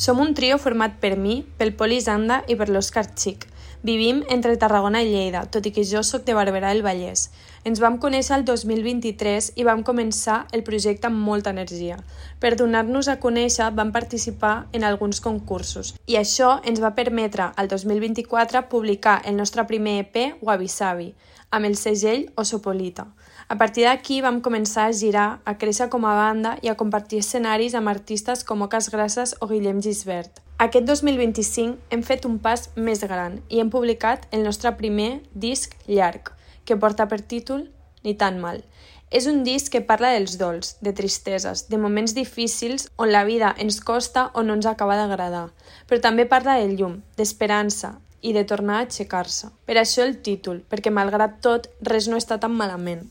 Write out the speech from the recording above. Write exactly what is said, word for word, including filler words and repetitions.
Som un trio format per mi, pel Poli Zanda i per l'Òscar Xic. Vivim entre Tarragona i Lleida, tot i que jo sóc de Barberà del Vallès. Ens vam conèixer el dos mil vint-i-tres i vam començar el projecte amb molta energia. Per donar-nos a conèixer vam participar en alguns concursos i això ens va permetre el dos mil vint-i-quatre publicar el nostre primer E P, Wabi Sabi, amb el segell Osopolita. A partir d'aquí vam començar a girar, a créixer com a banda i a compartir escenaris amb artistes com Oques Grasses o Guillem Gisbert. Aquest dos mil vint-i-cinc hem fet un pas més gran i hem publicat el nostre primer disc llarg, que porta per títol Ni tan mal. És un disc que parla dels dols, de tristeses, de moments difícils on la vida ens costa o no ens acaba d'agradar, però també parla de llum, d'esperança i de tornar a aixecar-se. Per això el títol, perquè malgrat tot res no està tan malament.